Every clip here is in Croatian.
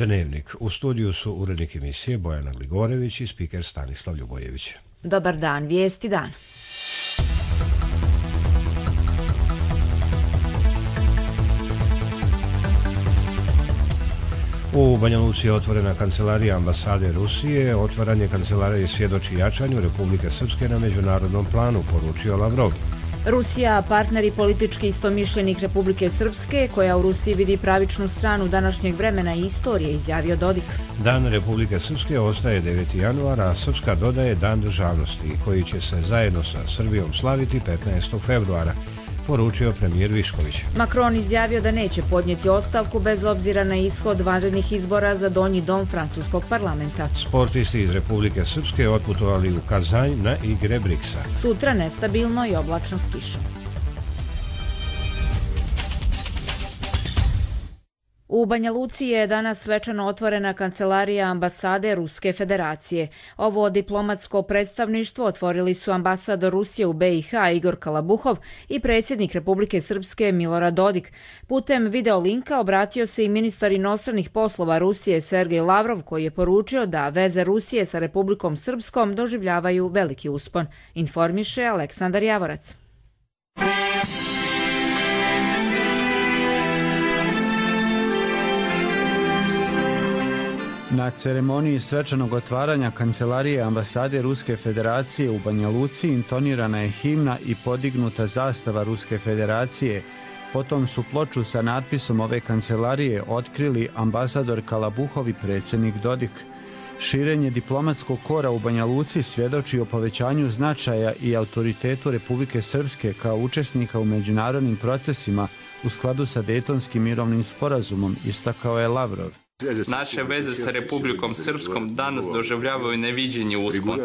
Dnevnik. U studiju su urednik emisije Bojana Gligorević i spiker Stanislav Ljubojević. Dobar dan, vijesti dan. U Banja Luci je otvorena kancelarija ambasade Rusije. Otvaranje kancelarije svjedoči jačanju Republike Srpske na međunarodnom planu, poručio Lavrov. Rusija, partner i politički istomišljenik Republike Srpske, koja u Rusiji vidi pravičnu stranu današnjeg vremena i istorije, izjavio Dodik. Dan Republike Srpske ostaje 9. januara, a Srpska dodaje Dan državnosti, koji će se zajedno sa Srbijom slaviti 15. februara, poručio premijer Višković. Macron izjavio da neće podnijeti ostavku bez obzira na ishod vanrednih izbora za donji dom francuskog parlamenta. Sportisti iz Republike Srpske otputovali u Kazanj na igre BRICS-a. Sutra nestabilno i oblačno s kišom. U Banja Luci je danas svečano otvorena kancelarija ambasade Ruske federacije. Ovo diplomatsko predstavništvo otvorili su ambasador Rusije u BiH Igor Kalabuhov i predsjednik Republike Srpske Milorad Dodik. Putem videolinka obratio se i ministar inostranih poslova Rusije Sergej Lavrov, koji je poručio da veze Rusije sa Republikom Srpskom doživljavaju veliki uspon, informiše Aleksandar Javorac. Na ceremoniji svečanog otvaranja kancelarije ambasade Ruske federacije u Banja Luci intonirana je himna i podignuta zastava Ruske federacije. Potom su ploču sa natpisom ove kancelarije otkrili ambasador Kalabuhov i predsjednik Dodik. Širenje diplomatskog kora u Banja Luci svjedoči o povećanju značaja i autoritetu Republike Srpske kao učesnika u međunarodnim procesima u skladu sa Dejtonskim mirovnim sporazumom, istakao je Lavrov. Naše veze sa Republikom Srpskom danas doživljavaju neviđeni uspon.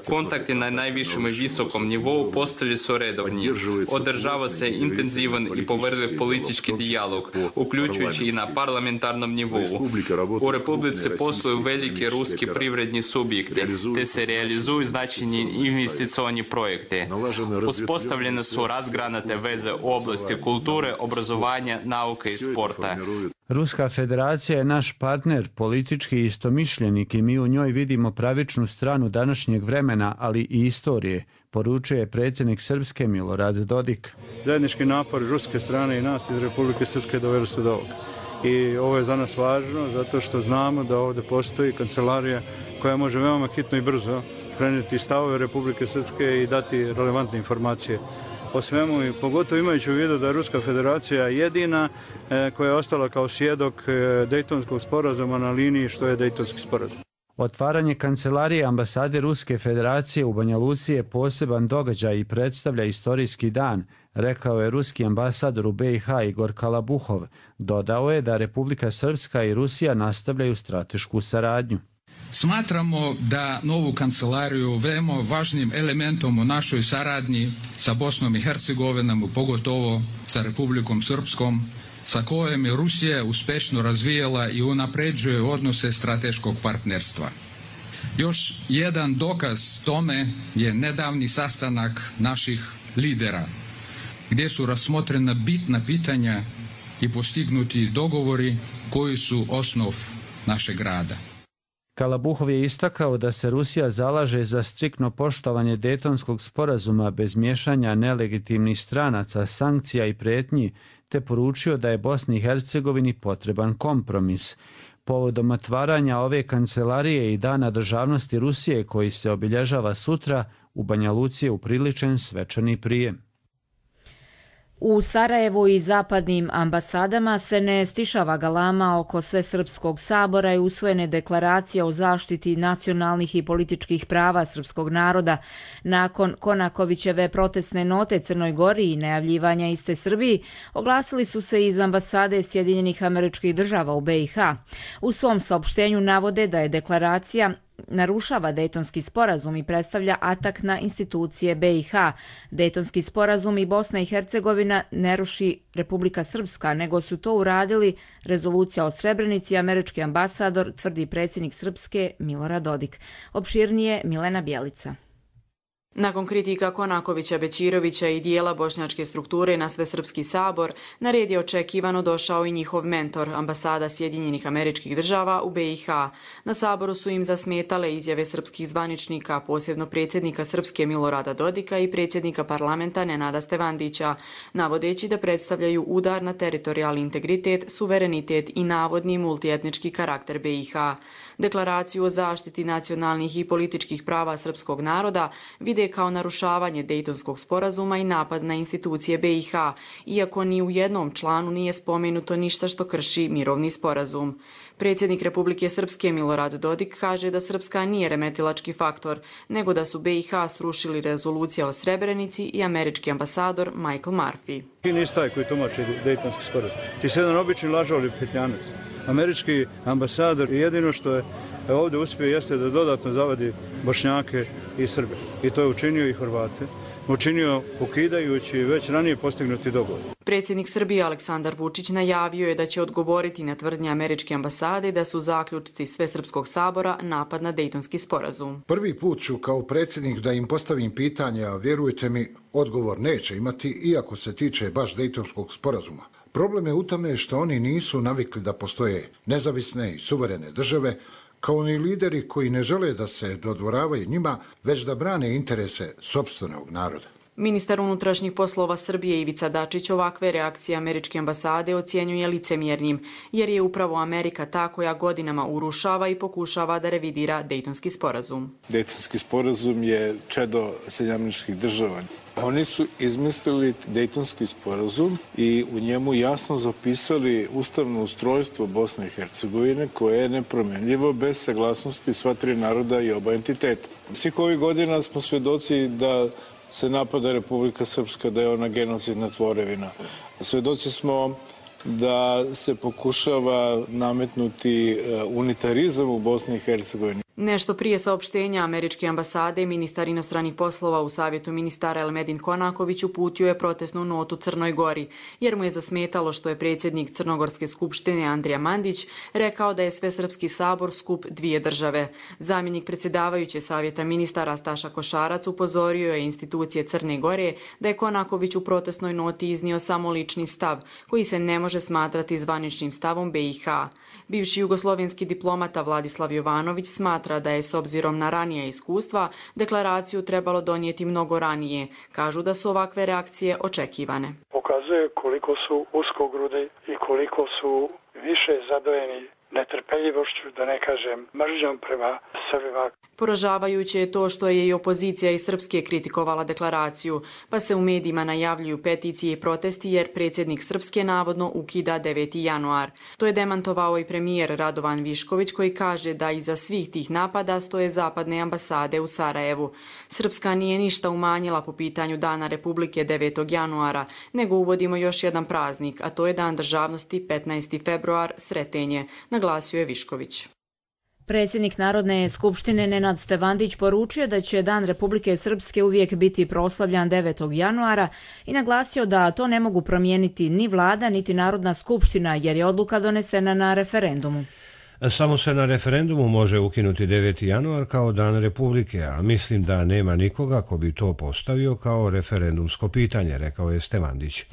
Kontakti na najvišem i visokom nivou postali su redovni. Održava se intenzivan i povrljiv politički dijalog, uključujući i na parlamentarnom nivou. U Republici posluju veliki ruski privredni subjekti, te se realizuju značajni investicioni projekti. Uspostavljene su razgranate veze u oblasti kulture, obrazovanja, nauke i sporta. Ruska federacija je naš partner, politički istomišljenik i mi u njoj vidimo pravičnu stranu današnjeg vremena, ali i istorije, poručuje predsjednik Srpske Milorad Dodik. Zajednički napori ruske strane i nas iz Republike Srpske doveli su do ovoga. I ovo je za nas važno zato što znamo da ovdje postoji kancelarija koja može veoma hitno i brzo prenijeti stavove Republike Srpske i dati relevantne informacije o svemu, i pogotovo imajući u vidu da je Ruska federacija jedina koja je ostala kao svjedok Dejtonskog sporazuma na liniji što je Dejtonski sporazum. Otvaranje kancelarije ambasade Ruske federacije u Banja Luci je poseban događaj i predstavlja istorijski dan, rekao je ruski ambasador u BiH Igor Kalabuhov. Dodao je da Republika Srpska i Rusija nastavljaju stratešku saradnju. Smatramo da novu kancelariju veoma važnim elementom u našoj saradnji sa Bosnom i Hercegovinom, pogotovo sa Republikom Srpskom, sa kojom je Rusija uspješno razvijala i unapređuje odnose strateškog partnerstva. Još jedan dokaz tome je nedavni sastanak naših lidera, gdje su razmotrena bitna pitanja i postignuti dogovori koji su osnov našeg rada. Kalabuhov je istakao da se Rusija zalaže za striktno poštovanje Dejtonskog sporazuma bez miješanja nelegitimnih stranaca, sankcija i prijetnji, te poručio da je Bosni i Hercegovini potreban kompromis. Povodom otvaranja ove kancelarije i Dana državnosti Rusije, koji se obilježava sutra, u Banja Luci je upriličen svečani prijem. U Sarajevu i zapadnim ambasadama se ne stišava galama oko Svesrpskog sabora i usvojene deklaracije o zaštiti nacionalnih i političkih prava srpskog naroda. Nakon Konakovićeve protestne note Crnoj Gori i najavljivanja iste Srbiji, oglasili su se iz ambasade Sjedinjenih Američkih Država u BiH. U svom saopštenju navode da je deklaracija narušava Dejtonski sporazum i predstavlja atak na institucije BiH. Dejtonski sporazum i Bosna i Hercegovina ne ruši Republika Srpska, nego su to uradili rezolucija o Srebrenici i američki ambasador, tvrdi predsjednik Srpske Milorad Dodik. Opširnije Milena Bjelica. Nakon kritika Konakovića, Bećirovića i dijela bošnjačke strukture na Svesrpski sabor, na red je očekivano došao i njihov mentor, ambasada Sjedinjenih Američkih Država u BiH. Na saboru su im zasmetale izjave srpskih zvaničnika, posebno predsjednika Srpske Milorada Dodika i predsjednika parlamenta Nenada Stevandića, navodeći da predstavljaju udar na teritorijalni integritet, suverenitet i navodni multietnički karakter BiH. Deklaraciju o zaštiti nacionalnih i političkih prava srpskog naroda vide kao narušavanje Dejtonskog sporazuma i napad na institucije BiH, iako ni u jednom članu nije spomenuto ništa što krši mirovni sporazum. Predsjednik Republike Srpske Milorad Dodik kaže da Srpska nije remetilački faktor, nego da su BiH srušili rezolucija o Srebrenici i američki ambasador Michael Murphy. Ti nisi taj koji tumači Dejtonski sporazum. Ti si jedan obični lažov ili petljanac. Američki ambasador jedino što je ovdje uspio jeste da dodatno zavadi Bošnjake i Srbe. I to je učinio i Hrvate. Učinio ukidajući već ranije postignuti dogovor. Predsjednik Srbije Aleksandar Vučić najavio je da će odgovoriti na tvrdnje američke ambasade da su zaključci Svesrpskog sabora napad na Dejtonski sporazum. Prvi put ću kao predsjednik da im postavim pitanja, a vjerujte mi, odgovor neće imati, iako se tiče baš Dejtonskog sporazuma. Problem je u tome što oni nisu navikli da postoje nezavisne i suverene države, kao ni lideri koji ne žele da se dodvoravaju njima, već da brane interese sopstvenog naroda. Ministar unutrašnjih poslova Srbije Ivica Dačić ovakve reakcije američke ambasade ocjenjuje licemjernim, jer je upravo Amerika ta koja godinama urušava i pokušava da revidira Dejtonski sporazum. Dejtonski sporazum je čedo Sjedinjenih Država. Oni su izmislili Dejtonski sporazum i u njemu jasno zapisali ustavno ustrojstvo Bosne i Hercegovine koje je nepromenljivo bez saglasnosti sva tri naroda i oba entiteta. Svih ovih godina smo svjedoci da se napada Republika Srpska, da je ona genocidna tvorevina. Svjedoci smo da se pokušava nametnuti unitarizam u Bosni i Hercegovini. Nešto prije saopštenja američke ambasade, ministar inostranih poslova u Savjetu ministara Elmedin Konaković uputio je protestnu notu Crnoj Gori, jer mu je zasmetalo što je predsjednik Crnogorske skupštine Andrija Mandić rekao da je Svesrpski sabor skup dvije države. Zamjenik predsjedavajuće Savjeta ministara Staša Košarac upozorio je institucije Crne Gore da je Konaković u protestnoj noti iznio samo lični stav, koji se ne može smatrati zvaničnim stavom BiH. Bivši jugoslovenski diplomata Vladislav Jovanović smatra da je s obzirom na ranije iskustva deklaraciju trebalo donijeti mnogo ranije. Kažu da su ovakve reakcije očekivane. Pokazuje koliko su uskogrudi i koliko su više zadojeni netrpeljivošću, da ne kažem mržnjom prema Srbima. Poražavajuće je to što je i opozicija iz Srpske kritikovala deklaraciju, pa se u medijima najavljuju peticije i protesti jer predsjednik Srpske navodno ukida 9. januar. To je demantovao i premijer Radovan Višković koji kaže da iza svih tih napada stoje zapadne ambasade u Sarajevu. Srpska nije ništa umanjila po pitanju Dana Republike 9. januara, nego uvodimo još jedan praznik, a to je Dan državnosti 15. februar, Sretenje, naglasio je Višković. Predsjednik Narodne skupštine Nenad Stevandić poručio da će Dan Republike Srpske uvijek biti proslavljan 9. januara i naglasio da to ne mogu promijeniti ni vlada niti Narodna skupština jer je odluka donesena na referendumu. Samo se na referendumu može ukinuti 9. januar kao Dan Republike, a mislim da nema nikoga ko bi to postavio kao referendumsko pitanje, rekao je Stevandić.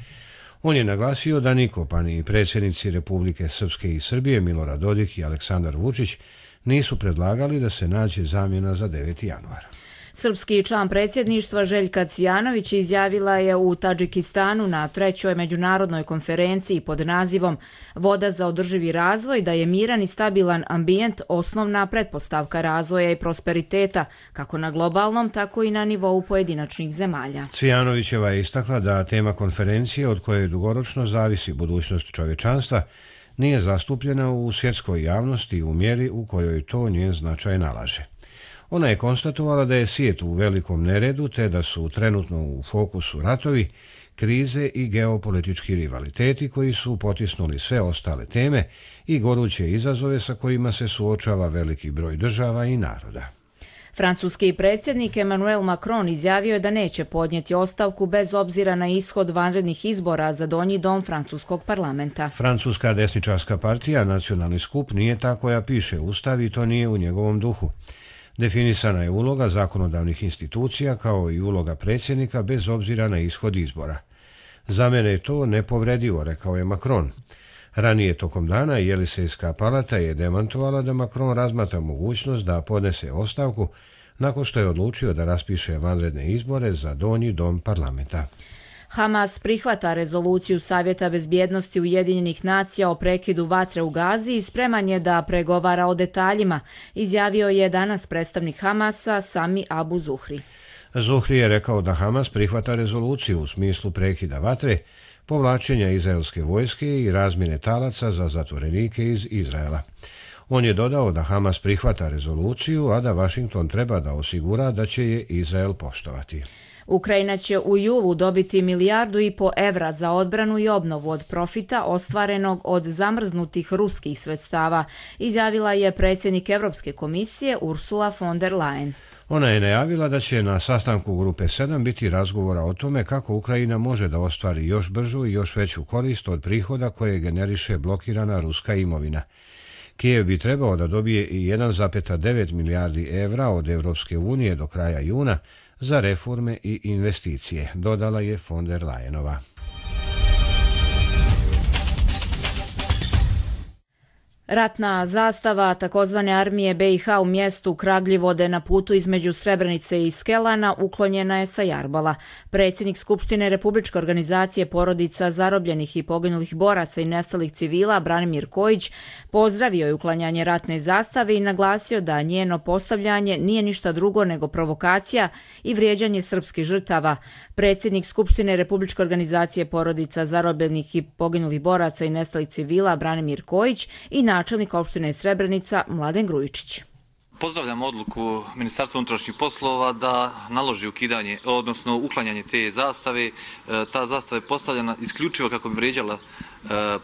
On je naglasio da niko, pa ni predsjednici Republike Srpske i Srbije Milorad Dodik i Aleksandar Vučić nisu predlagali da se nađe zamjena za 9. januar. Srpski član predsjedništva Željka Cvijanović izjavila je u Tadžikistanu na 3. međunarodnoj konferenciji pod nazivom Voda za održivi razvoj da je miran i stabilan ambijent osnovna pretpostavka razvoja i prosperiteta, kako na globalnom, tako i na nivou pojedinačnih zemalja. Cvijanovićeva je istakla da tema konferencije od koje dugoročno zavisi budućnost čovječanstva nije zastupljena u svjetskoj javnosti u mjeri u kojoj to njen značaj nalaže. Ona je konstatovala da je svijet u velikom neredu te da su trenutno u fokusu ratovi, krize i geopolitički rivaliteti koji su potisnuli sve ostale teme i goruće izazove sa kojima se suočava veliki broj država i naroda. Francuski predsjednik Emmanuel Macron izjavio je da neće podnijeti ostavku bez obzira na ishod vanrednih izbora za donji dom francuskog parlamenta. Francuska desničarska partija Nacionalni skup nije ta koja piše ustav i to nije u njegovom duhu. Definisana je uloga zakonodavnih institucija kao i uloga predsjednika bez obzira na ishod izbora. Za mene je to nepovredivo, rekao je Macron. Ranije tokom dana Jelisejska palata je demantovala da Macron razmatra mogućnost da podnese ostavku nakon što je odlučio da raspiše vanredne izbore za donji dom parlamenta. Hamas prihvata rezoluciju Savjeta bezbjednosti Ujedinjenih nacija o prekidu vatre u Gazi i spreman je da pregovara o detaljima, izjavio je danas predstavnik Hamasa Sami Abu Zuhri. Zuhri je rekao da Hamas prihvata rezoluciju u smislu prekida vatre, povlačenja izraelske vojske i razmjene talaca za zatvorenike iz Izraela. On je dodao da Hamas prihvata rezoluciju, a da Washington treba da osigura da će je Izrael poštovati. Ukrajina će u julu dobiti 1,5 milijardu evra za odbranu i obnovu od profita ostvarenog od zamrznutih ruskih sredstava, izjavila je predsjednik Europske komisije Ursula von der Leyen. Ona je najavila da će na sastanku Grupe 7 biti razgovora o tome kako Ukrajina može da ostvari još bržu i još veću korist od prihoda koje generiše blokirana ruska imovina. Kijev bi trebao da dobije i 1,9 milijardi evra od Europske unije do kraja juna za reforme i investicije, dodala je von der Leyenova. Ratna zastava takozvane armije BiH u mjestu Kragljivode na putu između Srebrenice i Skelana uklonjena je sa Jarbala. Predsjednik Skupštine Republičke organizacije porodica zarobljenih i poginulih boraca i nestalih civila Branimir Kojić pozdravio je uklanjanje ratne zastave i naglasio da njeno postavljanje nije ništa drugo nego provokacija i vrijeđanje srpskih žrtava. Predsjednik Skupštine Republičke organizacije porodica zarobljenih i poginulih boraca i nestalih civila Branimir Kojić i načelnik opštine Srebrenica Mladen Grujičić. Pozdravljam odluku Ministarstva unutrašnjih poslova da naloži uklanjanje te zastave. Ta zastava je postavljena isključivo kako bi vrijeđala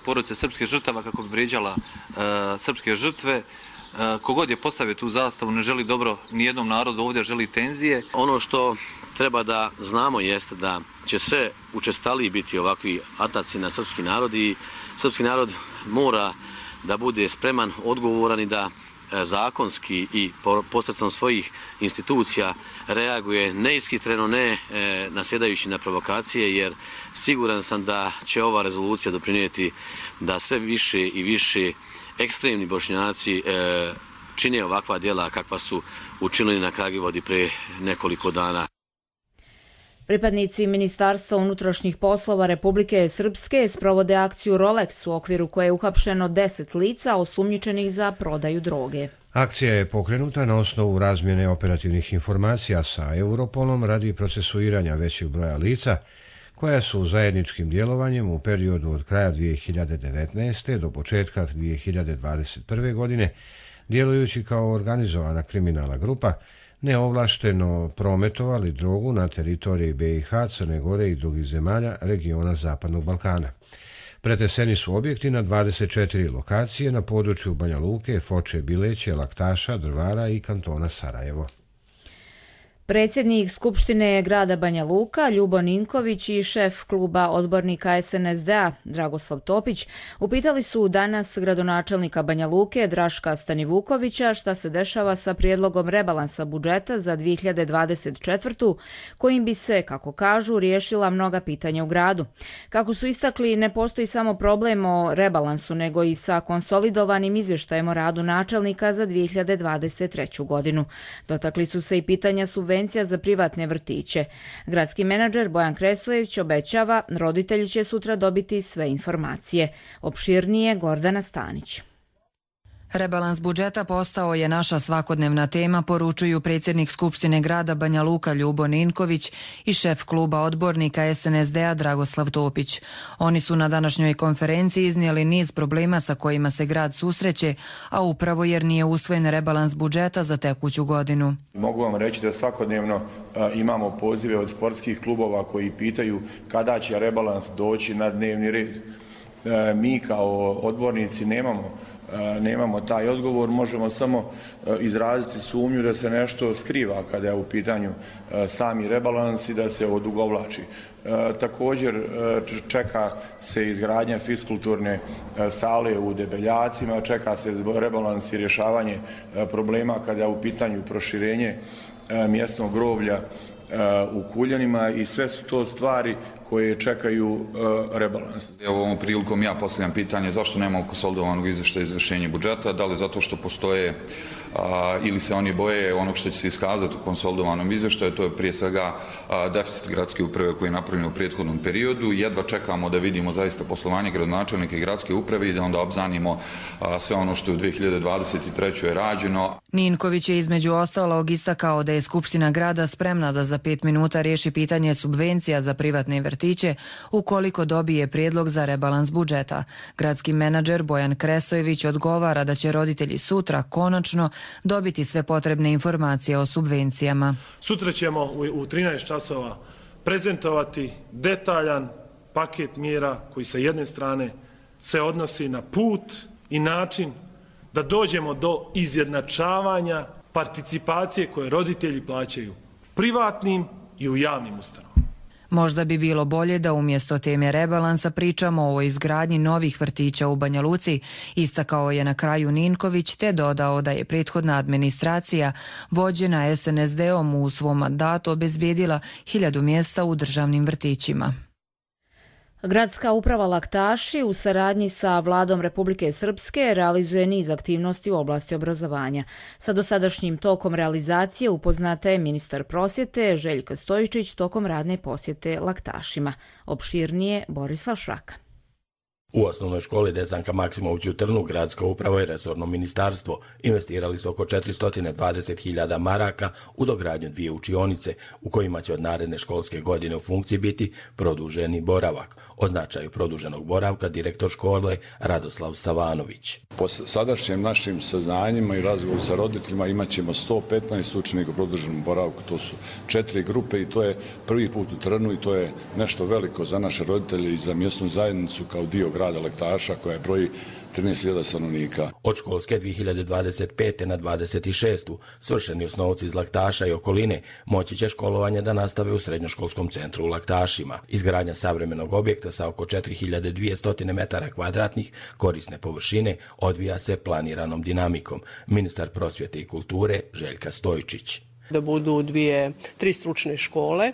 porodice srpskih žrtava, kako bi vrijeđala srpske žrtve. Kogod je postavio tu zastavu ne želi dobro nijednom narodu, ovdje želi tenzije. Ono što treba da znamo jeste da će sve učestaliji biti ovakvi ataci na srpski narod i srpski narod mora da bude spreman, odgovoran i da zakonski i posredstvom svojih institucija reaguje neishitreno, ne nasjedajući na provokacije, jer siguran sam da će ova rezolucija doprinijeti da sve više i više ekstremni Bošnjaci čine ovakva djela kakva su učinili na Kragljivodi pre nekoliko dana. Pripadnici Ministarstva unutrašnjih poslova Republike Srpske sprovode akciju Rolex u okviru koje je uhapšeno 10 lica osumnjičenih za prodaju droge. Akcija je pokrenuta na osnovu razmjene operativnih informacija sa Europolom radi procesuiranja većeg broja lica koja su zajedničkim djelovanjem u periodu od kraja 2019. do početka 2021. godine, djelujući kao organizovana kriminalna grupa, neovlašteno prometovali drogu na teritoriji BiH, Crne Gore i drugih zemalja regiona Zapadnog Balkana. Preteseni su objekti na 24 lokacije na području Banja Luke, Foče, Bileće, Laktaša, Drvara i kantona Sarajevo. Predsjednik Skupštine grada Banja Luka Ljubo Ninković i šef kluba odbornika SNSD-a Dragoslav Topić upitali su danas gradonačelnika Banja Luke Draška Stanivukovića šta se dešava sa prijedlogom rebalansa budžeta za 2024. kojim bi se, kako kažu, riješila mnoga pitanja u gradu. Kako su istakli, ne postoji samo problem o rebalansu, nego i sa konsolidovanim izvještajem o radu načelnika za 2023. godinu. Dotakli su se i pitanja subvencija za privatne vrtiće. Gradski menadžer Bojan Kresojević obećava, roditelji će sutra dobiti sve informacije. Opširnije Gordana Stanić. Rebalans budžeta postao je naša svakodnevna tema, poručuju predsjednik Skupštine grada Banja Luka Ljubo Ninković i šef kluba odbornika SNSD-a Dragoslav Topić. Oni su na današnjoj konferenciji iznijeli niz problema sa kojima se grad susreće, a upravo jer nije usvojen rebalans budžeta za tekuću godinu. Mogu vam reći da svakodnevno imamo pozive od sportskih klubova koji pitaju kada će rebalans doći na dnevni red. Mi kao odbornici nemamo nemamo taj odgovor, možemo samo izraziti sumnju da se nešto skriva kada je u pitanju sami rebalans i da se odugovlači. Također čeka se izgradnja fiskulturne sale u Debeljacima, čeka se rebalans i rješavanje problema kada je u pitanju proširenje mjesnog groblja u Kuljanima i sve su to stvari koje čekaju rebalans. Ovom prilikom ja postavljam pitanje zašto nemamo konsolidovanog izvještaja izvršenja budžeta, da li zato što postoje ili se oni boje onog što će se iskazati u konsolidovanom izvještaju, to je prije svega deficit gradske uprave koji je napravljen u prethodnom periodu. Jedva čekamo da vidimo zaista poslovanje gradonačelnika i gradske uprave i da onda obznanimo sve ono što je u 2023. je rađeno. Ninković je između ostalog istakao da je Skupština grada spremna da za 5 minuta riješi pitanje subvencija za privatne vrtiće ukoliko dobije prijedlog za rebalans budžeta. Gradski menadžer Bojan Kresojević odgovara da će roditelji sutra konačno dobiti sve potrebne informacije o subvencijama. Sutra ćemo u 13 časova prezentovati detaljan paket mjera koji sa jedne strane se odnosi na put i način da dođemo do izjednačavanja participacije koje roditelji plaćaju privatnim i u javnim ustanovama. Možda bi bilo bolje da umjesto teme rebalansa pričamo o izgradnji novih vrtića u Banja Luci, istakao je na kraju Ninković, te dodao da je prethodna administracija vođena SNSD-om u svom mandatu obezbijedila 1000 mjesta u državnim vrtićima. Gradska uprava Laktaši u saradnji sa Vladom Republike Srpske realizuje niz aktivnosti u oblasti obrazovanja. Sa dosadašnjim tokom realizacije upoznata je ministar prosvjete Željka Stojičić tokom radne posjete Laktašima. Opširnije Borislav Šraka. U osnovnoj školi Desanka Maksimović u Trnu gradska uprava i resorno ministarstvo investirali su oko 420.000 maraka u dogradnju 2 učionice u kojima će od naredne školske godine u funkciji biti produženi boravak. O značaju produženog boravka direktor škole Radoslav Savanović. Po sadašnjim našim saznanjima i razgovoru sa roditeljima imat ćemo 115 učenika u produženom boravku. To su 4 grupe i to je prvi put u Trnu i to je nešto veliko za naše roditelje i za mjesnu zajednicu kao dio grada Laktaša koja broji 13.000 stanovnika. Od školske 2025. na 26. svršeni osnovci iz Laktaša i okoline moći će školovanje da nastave u srednjoškolskom centru u Laktašima. Izgradnja savremenog objekta sa oko 4200 metara kvadratnih korisne površine odvija se planiranom dinamikom. Ministar prosvjete i kulture Željka Stojičić. Da budu 3 stručne škole,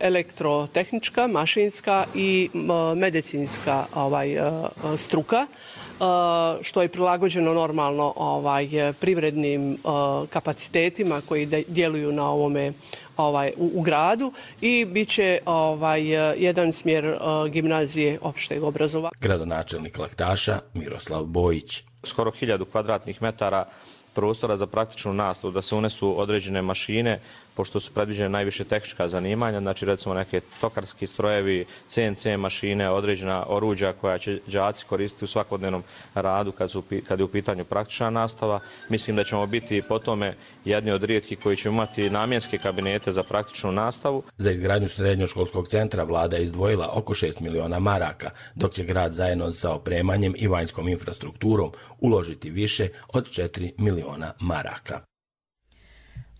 elektrotehnička, mašinska i medicinska struka, što je prilagođeno normalno privrednim kapacitetima koji djeluju na ovome u gradu i bit će jedan smjer gimnazije opšteg obrazovanja. Gradonačelnik Laktaša Miroslav Bojić. Skoro 1000 kvadratnih metara prostora za praktičnu nastavu, da se unesu određene mašine, pošto su predviđene najviše tehnička zanimanja, znači recimo neke tokarski strojevi, CNC mašine, određena oruđa koja će đaci koristiti u svakodnevnom radu kad je u pitanju praktična nastava. Mislim da ćemo biti po tome jedni od rijetkih koji će imati namjenske kabinete za praktičnu nastavu. Za izgradnju srednjoškolskog centra vlada je izdvojila oko 6 miliona maraka, dok će grad zajedno sa opremanjem i vanjskom infrastrukturom uložiti više od 4 miliona maraka.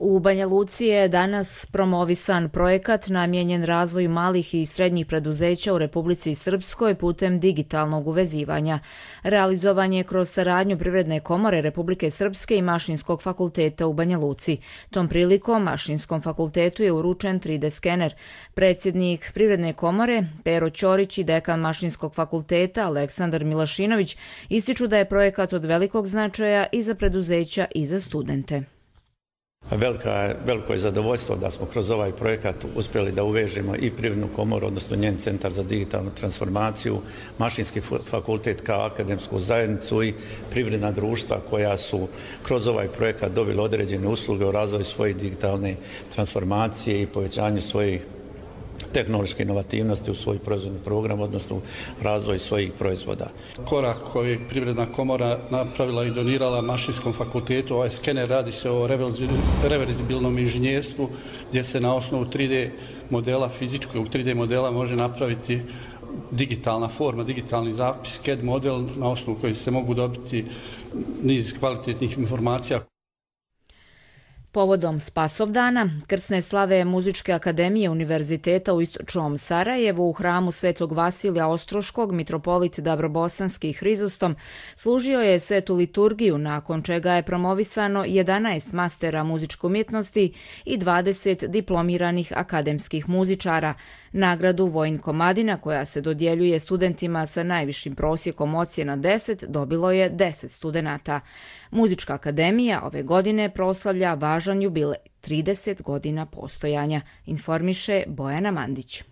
U Banja Luci je danas promovisan projekat namijenjen razvoju malih i srednjih preduzeća u Republici Srpskoj putem digitalnog uvezivanja. Realizovan je kroz saradnju Privredne komore Republike Srpske i Mašinskog fakulteta u Banja Luci. Tom prilikom Mašinskom fakultetu je uručen 3D skener. Predsjednik Privredne komore Pero Ćorić i dekan Mašinskog fakulteta Aleksandar Milašinović ističu da je projekat od velikog značaja i za preduzeća i za studente. Veliko je zadovoljstvo da smo kroz ovaj projekat uspjeli da uvežemo i Privrednu komoru, odnosno njen centar za digitalnu transformaciju, Mašinski fakultet kao akademsku zajednicu i privredna društva koja su kroz ovaj projekat dobili određene usluge u razvoju svoje digitalne transformacije i povećanju svojih tehnološke inovativnosti u svoj proizvodni program, odnosno razvoj svojih proizvoda. Korak koji je Privredna komora napravila i donirala Mašinskom fakultetu, ovaj skener, radi se o reverzibilnom inženjerstvu gdje se na osnovu 3D modela, fizičkog 3D modela može napraviti digitalna forma, digitalni zapis, CAD model na osnovu koji se mogu dobiti niz kvalitetnih informacija. Povodom Spasovdana, krsne slave Muzičke akademije Univerziteta u Istočnom Sarajevu u hramu Svetog Vasilija Ostroškog mitropolit Dabrobosanski Hrizostom služio je svetu liturgiju, nakon čega je promovisano 11 mastera muzičke umjetnosti i 20 diplomiranih akademskih muzičara. Nagradu Vojin Komadina, koja se dodjeljuje studentima sa najvišim prosjekom ocjena 10, dobilo je 10 studenata. Muzička akademija ove godine proslavlja važan jubilej, 30 godina postojanja, informiše Bojana Mandić.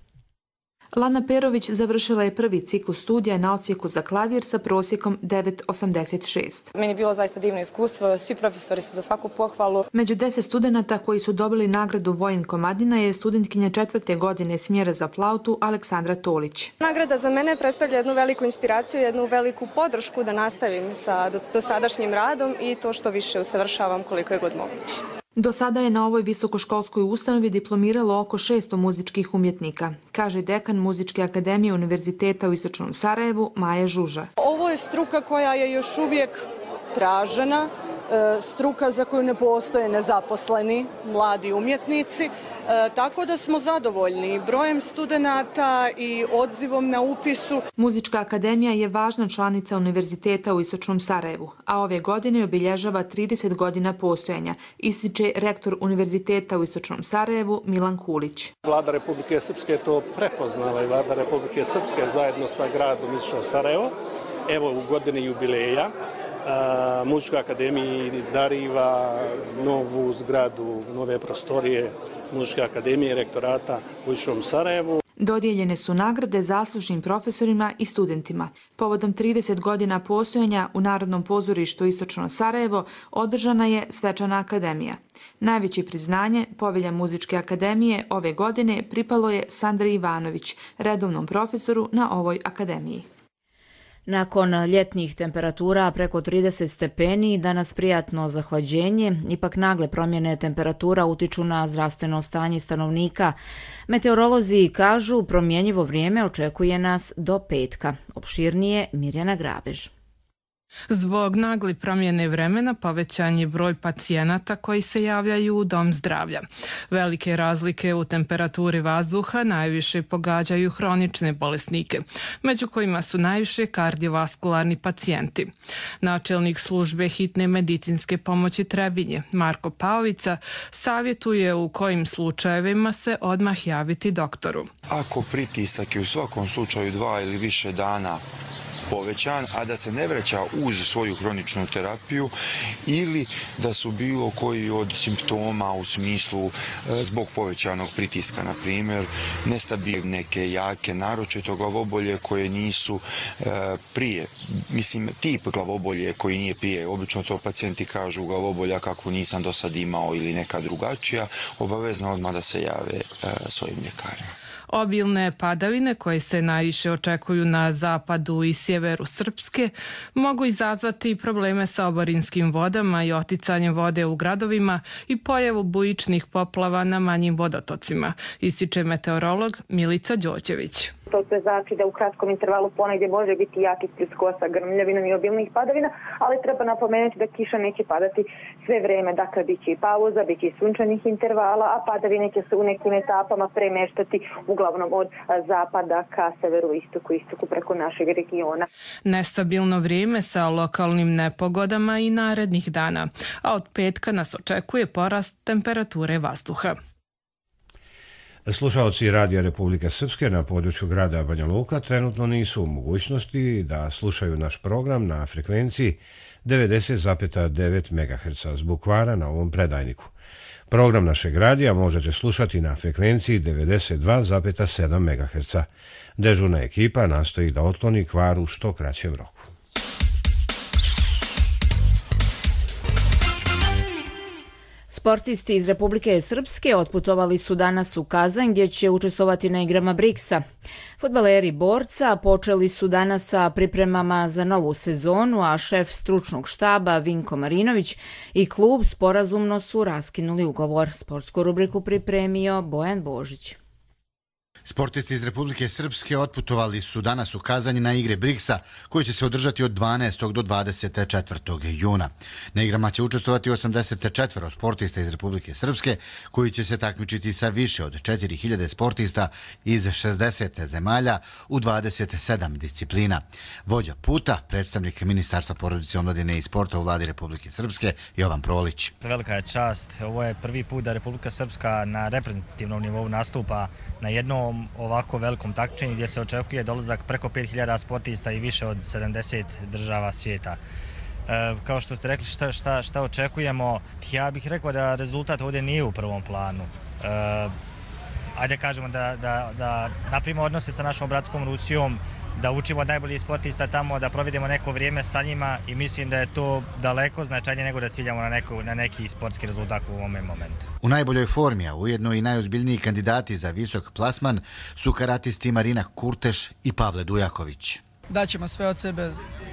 Lana Perović završila je prvi ciklus studija na odsjeku za klavir sa prosjekom 9,86. Meni je bilo zaista divno iskustvo, svi profesori su za svaku pohvalu. Među 10 studenata koji su dobili nagradu Vojin Komadina je studentkinja 4. godine smjera za flautu Aleksandra Tolić. Nagrada za mene predstavlja jednu veliku inspiraciju, jednu veliku podršku da nastavim sa dosadašnjim radom i to što više usavršavam koliko je god moguće. Do sada je na ovoj visokoškolskoj ustanovi diplomiralo oko 600 muzičkih umjetnika, kaže dekan Muzičke akademije Univerziteta u Istočnom Sarajevu Maja Žuža. Ovo je struka koja je još uvijek tražena, struka za koju ne postoje nezaposleni mladi umjetnici, tako da smo zadovoljni brojem studenata i odzivom na upisu. Muzička akademija je važna članica Univerziteta u Istočnom Sarajevu, a ove godine obilježava 30 godina postojanja, ističe rektor Univerziteta u Istočnom Sarajevu Milan Kulić. Vlada Republike Srpske je to prepoznala i Vlada Republike Srpske zajedno sa gradom Istočno Sarajevo, evo u godini jubileja, Muzičkoj akademiji dariva novu zgradu, nove prostorije Muzičke akademije rektorata u Istočnom Sarajevu. Dodijeljene su nagrade zaslužnim profesorima i studentima. Povodom 30 godina postojanja u Narodnom pozorištu Istočno Sarajevo održana je svečana akademija. Najveće priznanje, povelja Muzičke akademije, ove godine pripalo je Sandri Ivanović, redovnom profesoru na ovoj akademiji. Nakon ljetnih temperatura preko 30 stepeni, danas prijatno zahlađenje, ipak nagle promjene temperatura utiču na zdravstveno stanje stanovnika. Meteorolozi kažu promjenjivo vrijeme očekuje nas do petka. Opširnije Mirjana Grabež. Zbog nagli promjene vremena povećan je broj pacijenata koji se javljaju u dom zdravlja. Velike razlike u temperaturi vazduha najviše pogađaju hronične bolesnike, među kojima su najviše kardiovaskularni pacijenti. Načelnik službe hitne medicinske pomoći Trebinje, Marko Paovica, savjetuje u kojim slučajevima se odmah javiti doktoru. Ako pritisak je u svakom slučaju 2 ili više dana povećan, a da se ne vraća uz svoju hroničnu terapiju ili da su bilo koji od simptoma u smislu zbog povećanog pritiska, na primjer, nestabilne, neke jake, naročito glavobolje koje nisu prije. Mislim, tip glavobolje koji nije prije. Obično to pacijenti kažu glavobolja kakvu nisam do sad imao ili neka drugačija, obavezno odmah da se jave svojim ljekarima. Obilne padavine koje se najviše očekuju na zapadu i sjeveru Srpske mogu izazvati probleme sa oborinskim vodama i oticanjem vode u gradovima i pojavu bujičnih poplava na manjim vodotocima, ističe meteorolog Milica Đoćević. To sve znači da u kratkom intervalu ponegdje može biti jaki pljuskova sa grmljavinom i obilnih padavina, ali treba napomenuti da kiša neće padati sve vreme. Dakle, bit će i pauza, bit će i sunčanih intervala, a padavine će se u nekim etapama premeštati uglavnom od zapada ka severu istoku preko našeg regiona. Nestabilno vrijeme sa lokalnim nepogodama i narednih dana, a od petka nas očekuje porast temperature vazduha. Slušaoci Radija Republike Srpske na području grada Banja Luka trenutno nisu u mogućnosti da slušaju naš program na frekvenciji 90,9 MHz zbog kvara na ovom predajniku. Program našeg radija možete slušati na frekvenciji 92,7 MHz. Dežurna ekipa nastoji da otkloni kvar u što kraćem roku. Sportisti iz Republike Srpske otputovali su danas u Kazanj gdje će učestvovati na igrama BRICS-a. Fudbaleri Borca počeli su danas sa pripremama za novu sezonu, a šef stručnog štaba Vinko Marinović i klub sporazumno su raskinuli ugovor. Sportsku rubriku pripremio Bojan Božić. Sportisti iz Republike Srpske otputovali su danas u Kazanj na igre Briksa, koji će se održati od 12. do 24. juna. Na igrama će učestvovati 84 sportista iz Republike Srpske, koji će se takmičiti sa više od 4000 sportista iz 60 zemalja u 27 disciplina. Vođa puta, predstavnik Ministarstva porodice, omladine i sporta u vladi Republike Srpske, Jovan Prolić. Velika je čast. Ovo je prvi put da Republika Srpska na reprezentativnom nivou nastupa na jednom ovako velikom takmičenju gdje se očekuje dolazak preko 5000 sportista i više od 70 država svijeta. Kao što ste rekli, šta očekujemo, ja bih rekao da rezultat ovdje nije u prvom planu. Ajde kažemo da napravimo odnose sa našom bratskom Rusijom, da učimo od najboljih sportista tamo, da provedemo neko vrijeme sa njima i mislim da je to daleko značajnije nego da ciljamo na neki sportski rezultat u ovom momentu. U najboljoj formi, a ujedno i najozbiljniji kandidati za visok plasman su karatisti Marina Kurteš i Pavle Dujaković. Daćemo sve od sebe,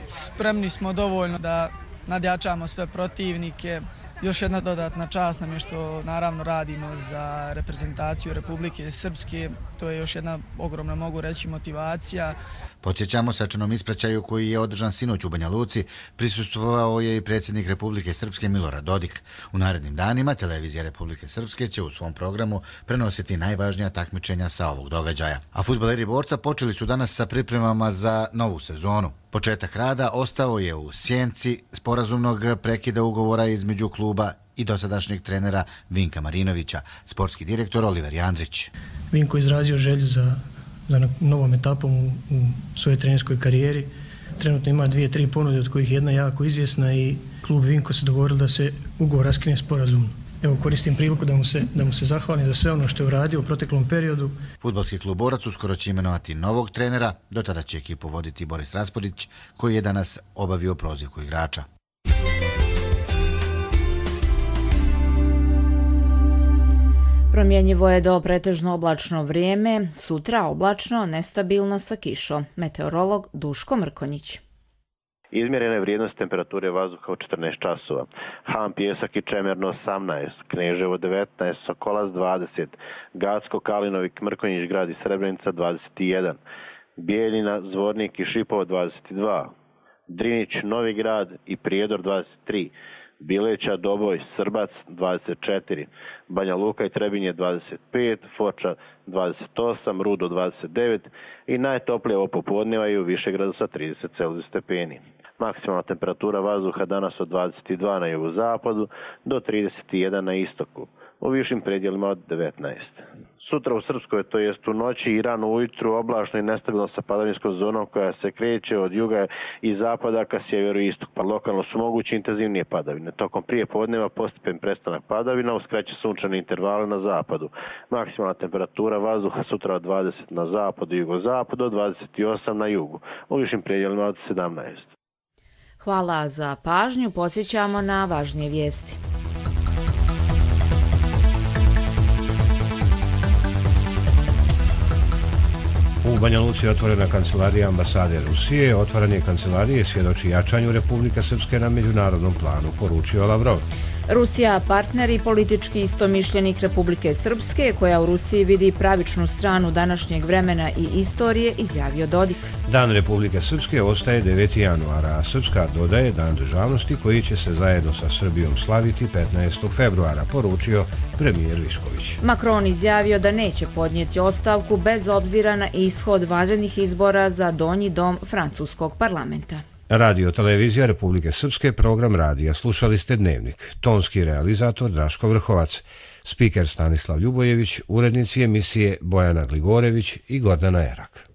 spremni smo dovoljno da nadjačamo sve protivnike. Još jedna dodatna čast nam je što naravno radimo za reprezentaciju Republike Srpske. To je još jedna ogromna, mogu reći, motivacija. Podsjećamo, svečanom ispraćaju koji je održan sinoć u Banja Luci prisustvovao je i predsjednik Republike Srpske Milorad Dodik. U narednim danima televizija Republike Srpske će u svom programu prenositi najvažnija takmičenja sa ovog događaja. A fudbaleri Borca počeli su danas sa pripremama za novu sezonu. Početak rada ostao je u sjenci sporazumnog prekida ugovora između kluba i dosadašnjeg trenera Vinka Marinovića, sportski direktor Oliver Jandrić. Vinko izrazio želju za novom etapom u svojoj trenerskoj karijeri. Trenutno ima 2-3 ponude, od kojih jedna jako izvjesna i klub Vinko se dogovorili da se ugovor raskine sporazumno. Evo, koristim priliku da mu se zahvalim za sve ono što je uradio u proteklom periodu. Fudbalski klub Borac uskoro će imenovati novog trenera, do tada će ekipu voditi Boris Raspodić, koji je danas obavio prozivku igrača. Promjenjivo je do pretežno oblačno vrijeme, sutra oblačno, nestabilno sa kišom. Meteorolog Duško Mrkonjić. Izmjerena je vrijednost temperature vazduha u 14 časova. Han, Pjesak i Čemerno 18, Kneževo 19, Sokolac 20, Gacko, Kalinovik, Mrkonjić, Grad i Srebrenica 21, Bijeljina, Zvornik i Šipovo 22, Drinić, Novi Grad i Prijedor 23, Bileća, Doboj, Srbac 24, Banja Luka i Trebinje 25, Foča 28, Rudo 29 i najtoplije ovo popodneva i u Višegradu sa 30 stepeni. Maksimalna temperatura vazduha danas od 22 na jugozapadu do 31 na istoku, u višim predjelima od 19. Sutra u Srpskoj, to jest u noći i rano ujutru, oblačno i nestabilno sa padavninskom zonom koja se kreće od juga i zapada ka sjeveru i istoku. Lokalno su mogući intenzivnije padavine. Tokom prije podneva postepen prestanak padavina uz kraće sunčane intervale na zapadu. Maksimalna temperatura vazduha sutra od 20 na zapadu i jugozapadu, od 28 na jugu, u višim predjelima od 17. Hvala za pažnju, podsjećamo na važnije vijesti. U Banja Luci je otvorena kancelarija ambasade Rusije. Otvaranje kancelarije svjedoči jačanju Republike Srpske na međunarodnom planu, poručio Lavrov. Rusija, partner i politički istomišljenik Republike Srpske, koja u Rusiji vidi pravičnu stranu današnjeg vremena i istorije, izjavio Dodik. Dan Republike Srpske ostaje 9. januara, a Srpska dodaje Dan državnosti koji će se zajedno sa Srbijom slaviti 15. februara, poručio premijer Višković. Macron izjavio da neće podnijeti ostavku bez obzira na ishod vanrednih izbora za donji dom francuskog parlamenta. Radio televizija Republike Srpske, program radija. Slušali ste Dnevnik. Tonski realizator Draško Vrhovac, spiker Stanislav Ljubojević, urednici emisije Bojana Gligorević i Gordana Erak.